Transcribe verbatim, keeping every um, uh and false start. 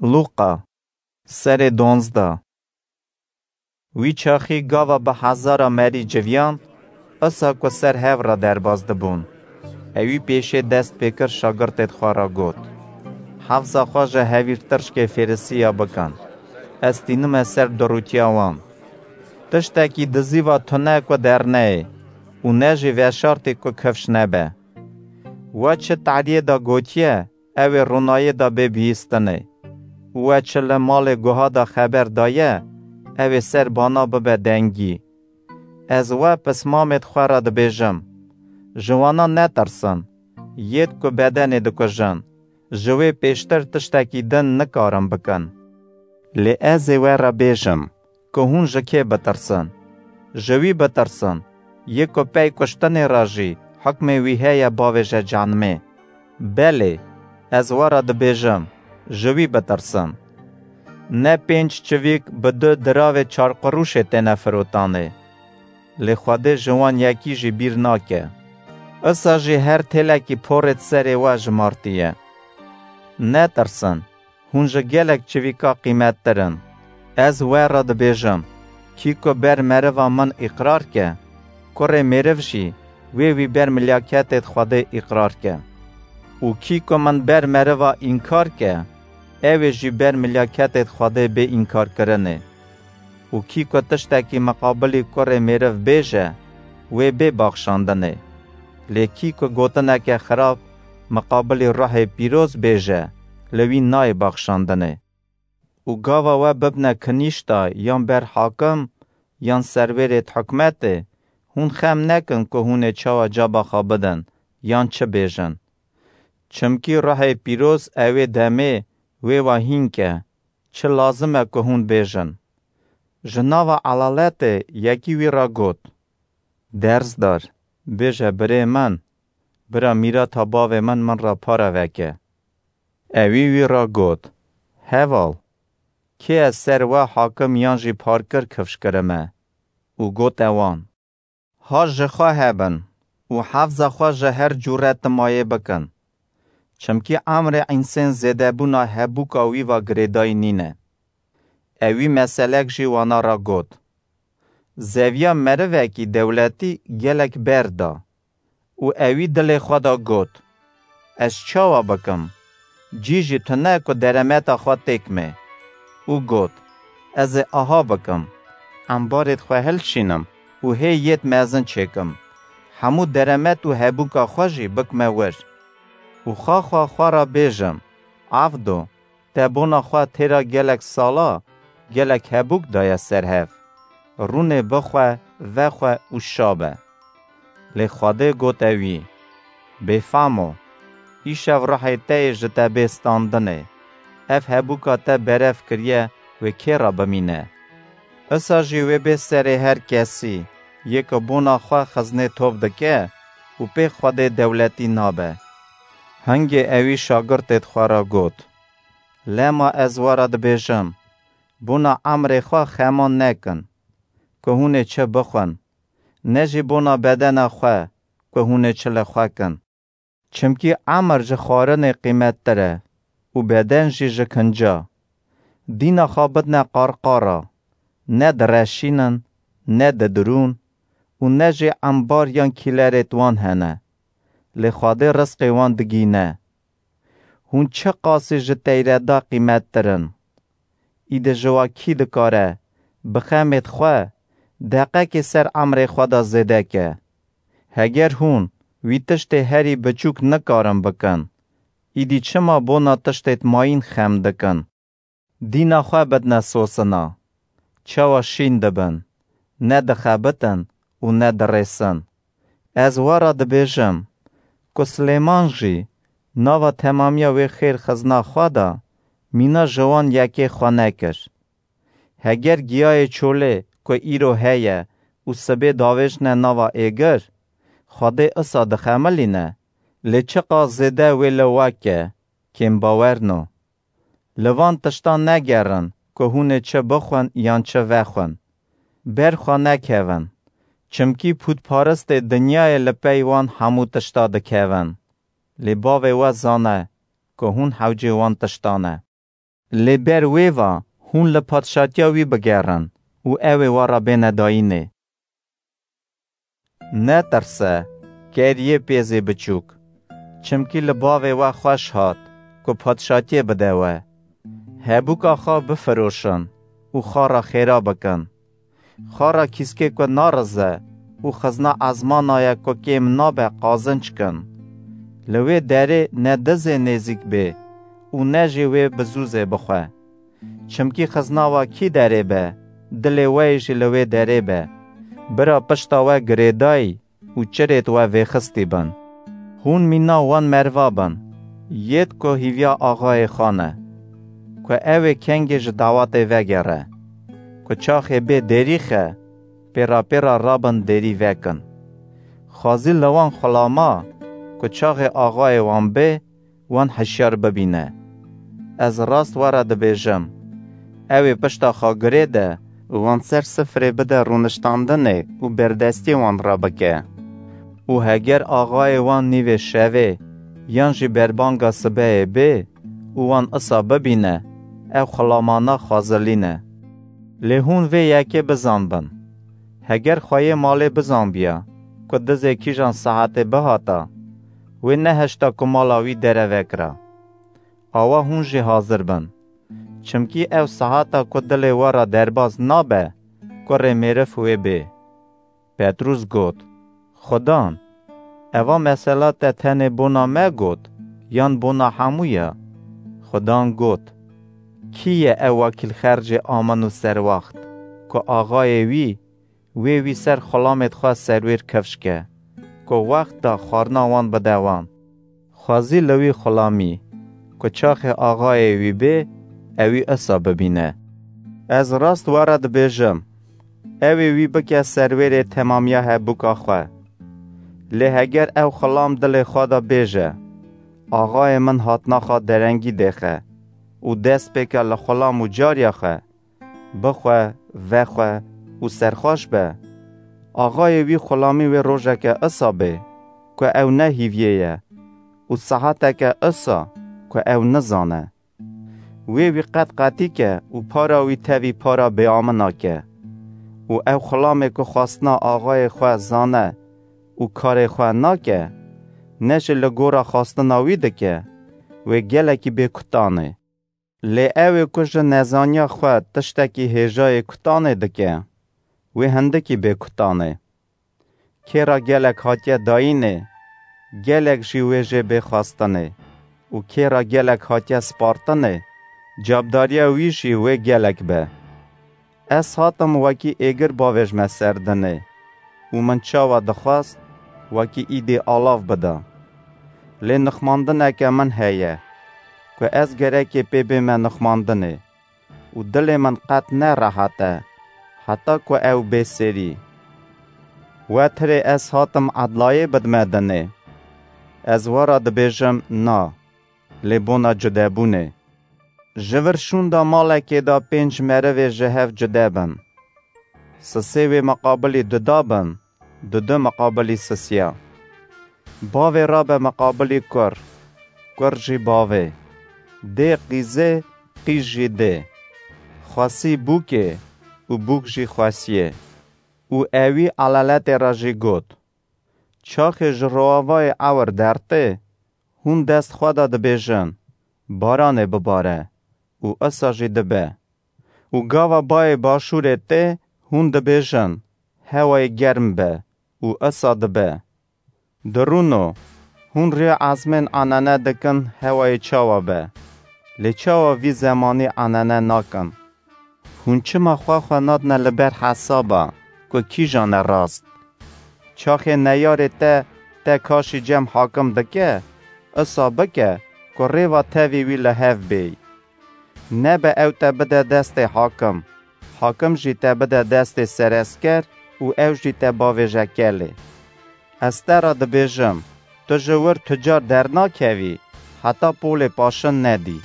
Lûqa, serê donzdeh. Wî çaxî gava bi hezara merî civiyan, isa ku ser hev re derbas dibûn. Ewî pêşê dest pê kir şagirtêd xwe re got, Hefza xwe ji hevîrtirşkê Fêrisiya bikin. Ez tînime ser durûtiya wan. Tiştekî dizîva tune ku derneyê û ne jî veşartî ku kifş nebe. We çi tariyê de gotiye, ew ê ronayê de bê bihîstinê. Û we çi li malê guha de xeber daye, ew ê ser bana bibe dengî. Ez we pismamêd xwe re dibêjim, ji wana netirsin, yêd ku bedenê dikujin, ji wê pêştir tiştekî din nikarin bikin. Lê ez ê we re bêjim, ku hûn ji kê bitirsin? Ji wî bitirsin, yê ku pey kuştinê re jî hukmê wî heye bavêje canimê. Belê, ez we re dibêjim, ji wî bitirsin. Ne pênc çivîk bi du diravê çarqurûşê têne firotanê. Lê Xwedê ji wan yekî jî bîr nake. Isa jî her têlekî porê di serê we jimartiye. Netirsin, hûn ji gelek çivîka qîmettir in. Ez we re dibêjim, kî ku ber meriva min îqrar ke, Kurê Mêriv jî wê wî ber milyaketêd Xwedê îqrar ke. Û kî ku min ber meriva înkar ke, ew ê jî ber milyaketêd Xwedê bê înkarkirinê. Û kî ku tiştekî miqabilî Kurê Mêriv bêje, wê bê baxşandinê. Lê kî ku gotineke xirab miqabilî Ruhê Pîroz bêje, li wî nayê baxşandinê. Û gava we bibne kinîşta yan ber hakim yan serwêrêd hikûmetê, hûn xem nekin ku hûn ê çawa caba xwe bidin yan çi bêjin. Çimkî Ruhê Pîroz ewê demê wê we hîn ke, çi lazim e ku hûn bêjin. Ji nava elaletê yekî wî re got, Dersdar, bêje birê min, bira mîrata bavê min min re pare veke. Ewî wî re got, Heval, kê ez ser we hakim yan jî parkir kifş kirime? Û gote wan, Ha ji xwe hebin û hefza xwe ji her cûre timayê bikin. Çimkî emrê însên zêdebûna hebûka wî ve girêdayî nîne. Ewî meselek jî wana re got, Zeviya merivekî dewletî gelek ber da û ewî dilê xwe de got, Ez çawa bikim? Cî jî tune ku deremeta xwe têkme. Û got, Ez ê aha bikim, embarêd xwe hilşînim û hê yêd mezin çêkim. Hemû deremet û hebûka xwe jî bikme wir. Û xaxa xwe re bêjim, Evdo, te bona xwe têra gelek sala, gelek hebûk daye ser hev. Rûnê bixwe, vexwe û şa be. Lê Xwedê gote wî, Bêfam o, îşev ruhê te yê ji te bê standinê. Ev hebûka te berev kiriye, wê kê re bimîne? Isa jî wê bê serê her kesî, yê ku bona xwe xiznê top dike û pê Xwedê dewletî nabe. Hingê ewî şagirtêd xwe re got, Lema ez we re dibêjim, bona emrê xwe xema nekin, ku hûn ê çi bixwin, ne jî bona bedena xwe, ku hûn ê çi li xwe kin. Çimkî emir ji xwarinê qîmettir e û beden jî ji kinca. Dîna xwe bidne qarqara, ne direşînin, ne didirûn û ne jî embar yan kîlerêd wan hene. Lê Xwedê rizqê wan digîne. Hûn çiqasî ji teyreda qîmettir in! Îdî ji wa kî dikare bi xemêd xwe deqekê ser emrê xwe de zêde ke? Heger hûn wî tiştê herî biçûk nikarin bikin, îdî çima bona tiştêd mayîn xem dikin? Dîna xwe bidne sosina, çawa şîn dibin, ne dixebitin û ne dirêsin. Ez we re dibêjim, ku Silêman jî nava temamiya wê xêr xizna xwe de mîna ji wan yekê xwe nekir. Heger giyayê çolê ku îro heye û sibê davêjne nava êgir, Xwedê isa dixemilîne, lê çiqas zêde wê li we ke, kêmbawerno. Li van tiştan negerin ku hûn ê çi bixwin yan çi vexwin. Ber xwe nekevin, çimkî pûtparistê dinyayê li pey wan hemû tişta dikevin. Lê Bavê we zane ku hûn hewcê wan tiştan e. Lê ber wê va hûn li padşatiya wî bigerin û ew ê we re bêne dayînê. Netirse, keriyê pêzê biçûk, çimkî li bavê we xweş hat ku padşatiyê bide we. Hebûka xwe bifiroşin û xwe re xêra bikin. Xwe re kîskê ku narize û xizna ezmana ye ku kêm nabe qazinc kin. Li wê derê ne dizê nêzîk bê û ne jî wê bi zûzê bixwe. Çimkî xizna we kî derê be, dilê we yê jî li wê derê be. Bira pişta we girêdayî û çirêt we vêxistî bin. Hûn mîna wan merva bin, yêt ku hîviya axayê xwe ne, ku ew ê kengê ji dawatê vegere, ku çaxê bê dêrîxe, pêra pêra rabin dêrî vekin. Xwezî li wan xulama, ku çaxê axayê wan bê, wan hişyar bibîne. Ez rast we re dibêjim, ew ê pişta xwe girê de û wan ser sifrê bide rûniştandinê û berdestiyê wan re bike. Û heger axayê wan nîvê şevê yan jî berbanga sibehê bê û wan isa bibîne, ew xulamana xwezilîne. Lê hûn vê yekê bizanbin, heger xweyê malê bizanbiya ku dizê kîjan saetê bihata, wê nehişta ku mala wî dereve kira. Awa hûn jî hazir bin. Çimkî ew sehata ku dilê we re derbas nabe, kurê mêriv wê bê. Petrûs got, Xudan, eva mesela te tenê bona me got, yan bona hemû ye? Xudan got, Kî ye ew wekîlxercê amin û serwext, ku axayê wî wê wî ser xulamêd xwe serwêr kifş ke, ku wext da xwarina wan bide wan? Xwezî li wî xulamî, ku çaxê axayê wî bê, ewî isa bibîne. Ez rast we re dibêjim, ew ê wî bike serwêrê temamiya hebûka xwe. Lê heger ew xulam dilê xwe de bêje, Axayê min hatina xwe derengî dêxe û dest pêke li xulam û cariya xwe, bixwe, vexwe û serxweş be. Axayê wî xulamî wê rojeke isa bê, ku ew ne hîviyê ye û saeteke isa, ku ew nizane. Wê wî qet qetî ke û para wî tevî para bêamina ke. Û ew xulamê ku xwestina axayê xwe zane û karê xwe nake, ne jî li gora xwestina wî dike, wê gelekî bê kutanê. Lê ew ê ku ji nezaniya xwe tiştekî hêjayê kutanê dike, wê hindikî bê kutanê. Kê re gelek hatiye dayînê, gelek jî wê jê bê xwestinê û kê re gelek hatiye spartinê, cabdariya wî jî wê gelek be. Ez hatim wekî êgir bavêjme ser dinê û min çawa dixwest, wekî îdî alav bida. Lê nixmandineke min heye, ku ez gerekê pê bême nixmandinê û dilê min qet ne rehet e, heta ku ew bê serî. We tirê ez hatim edlayê bidme dinê. Ez we re dibêjim na, lê bona cudebûnê. Ji vir şûnda malekê de pênc merivê ji hev cude bin. Sisê wê miqabilî duda bin, dudu miqabilî sisiya. Bavê rabe miqabilî kur, kur jî bavê. Dê qîzê, qîz jî dê. Xwesî bûkê û bûk jî xwesiyê. Û ewî eleletê re jî got, Çaxê ji roavayê ewir dertê, hûn dest xwe de dibêjin, Baranê bibare û isa jî dibe. Û gava bayê başûrê tê, hûn dibêjin, Hewayê germ be û isa dibe. Dirûno, hûn rê ezmên anene dikin hewayê çawa be, lê çawa vî zemanî anene nakin? Hûn çima xwe xwe nadine li ber hesaba ku kîjan e rast? Çaxê neyarê te te kaşî cem hakim dike, isa bike ku rêva tevî wî li hev bêy. Nebe ew te bide destê hakim, hakim jî te bide destê seresker û ew jî te bavêje kelê. Ez te re dibêjim, tu ji wir tu car dernakevî, heta polê paşin nedî.